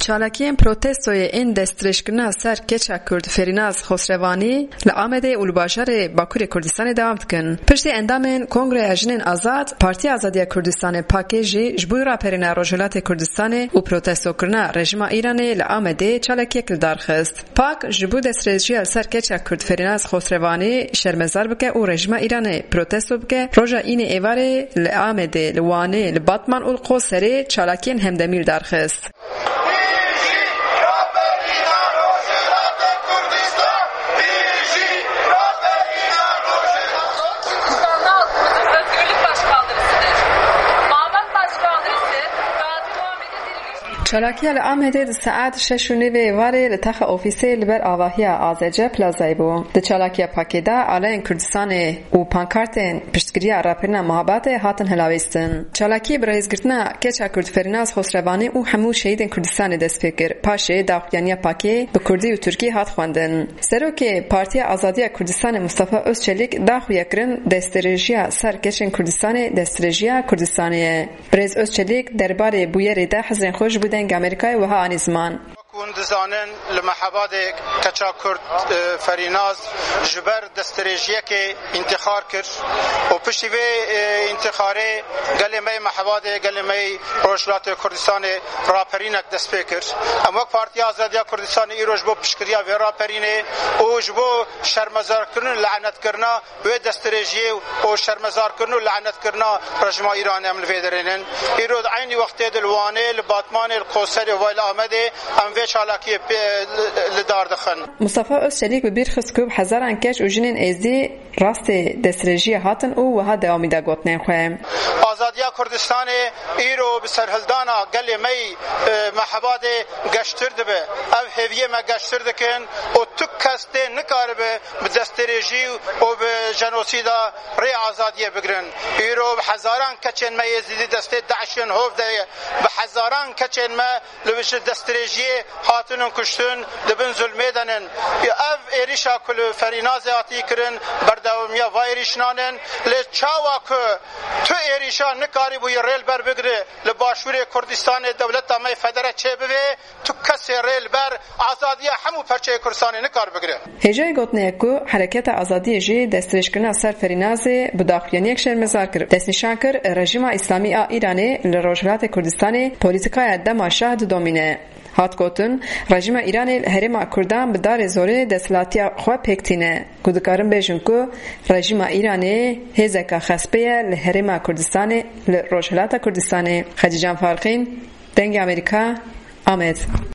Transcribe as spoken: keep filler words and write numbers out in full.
Çalakiyên protestoyê ên destdirêjkirina ser keça Kurd Ferînaz Xosrevanî li Amedê û li bajarê Bakurê Kurdistanê dewam dikin. Piştî endamên Kongreya Jinên Azad, Partiya Azadiya Kurdistanê, pakê, jî ji bo raperîna Rojhilatê Kurdistanê û protestokirina rejîma Îranê li Amedê çalakiyek li dar xist. Pak ji bo destdirêjiya li ser keça Kurd Ferînaz Xosrevanî şermezar bike û rejîma Îranê protesto bike, roja înê êvarê li Amedê, li Wanê, li Batman û li Qoserê çalakiyên hemdemî li dar xist. Çalakiya li Amedê di saet şeş û nîvê êvarê li taxa ofîsê li ber avahiya A Z C Plazayê bû. Di çalakiya pakê de aleyên Kurdistanê û pankartên piştgiriya raperîna Mehabatê hatin hilawêstin. Çalakiyê bi rêzgirtina keça Kurd Ferînaz Xosrevanî û hemû şehîdên Kurdistanê dest pê kir. Paşê daxuyaniya pakê bi kurdî û tirkî hat xwendin. Serokê Partiya Azadiya Kurdistanê Mustafa Özçelik daxuya kirin destdirêjiya ser keçên Kurdistanê destdirêjiya Kurdistanê ye. Birêz Özçelik derbarê bûyerê de hizrên xwe ji bo Dengê Amerîkayê wiha anî ziman. Hûn dizanin, li Mehabadê keça Kurd, e, Ferînaz ji ber destdirêjiyekê întîxar kir û piştî vê, e, întîxarê gelê me yê Mehabadê, gelê me yê Rojhilatê Kurdistanê raperînek dest pê kir. Em wek Partiya Azadiya Kurdistanê îro ji bo piştgiriya vê raperînê û ji bo şermezarkirin û lanetkirina wê destdirêjiyê û şermezarkirin û lanetkirina rejîma Îranê em li vê derê nin. Îro di eynî wextê de li Wanê, li Batmanê, li Qoserê û vay li Amedê em vê çalakiyê pê, li, li dar dixin. Mustafa Özçelik bi bîr xist ku bi hezaran keç û jinên êzdî rastê destdirêjiyê hatin û wiha dewamî da gotinên xwe. Azadiya Kurdistanê îro bi serhildana gelê me yî, e, Mehabadê geştir dibe. Ev hêviyê me geştir dikin û tu kes tê nikaribe bi destdirêjî û bi jenosîda rê azadiyê bigirin. Îro bi hezaran keçên me yê zîdî destê DAIŞ'ên hov de ye. Bi hezaran keçên me li ji destdirêjiyê hatinin kuştin, di bin zulmê de nin. Ev êrîşa ku li Ferînazê hatî kirin, berdewamiya va êrîşnanin. Lê çawa ku tu êrîşa nikarîbûyî rê li ber bigire, li Başûrê Kurdistanê dewleta me federe çêbibe, tu kesê rê li ber azadiya hemû perçeyê Kurdistanê nikar bigire. Hêjayî gotinê ye ku Hereketa Azadiyê jî destdirêjkirina ser Ferînazê bi daxuyaniyek şermezar kir. Destnîşan kir, rejîma Îslamî a Îranê li Rojhilatê Kurdistanê polîtîkaya dema şah didomîne. Hat gotin, rejîma Îranê li herêma Kurdan bi darê zorê desthilatiya xwe pêk tîne. Ku dikarin bêjin ku rejîma Îranê hêzeka xespê ye li herêma Kurdistanê, li Rojhilata Kurdistanê. Xecîcan Farqîn, Dengê Amerîka, Amed.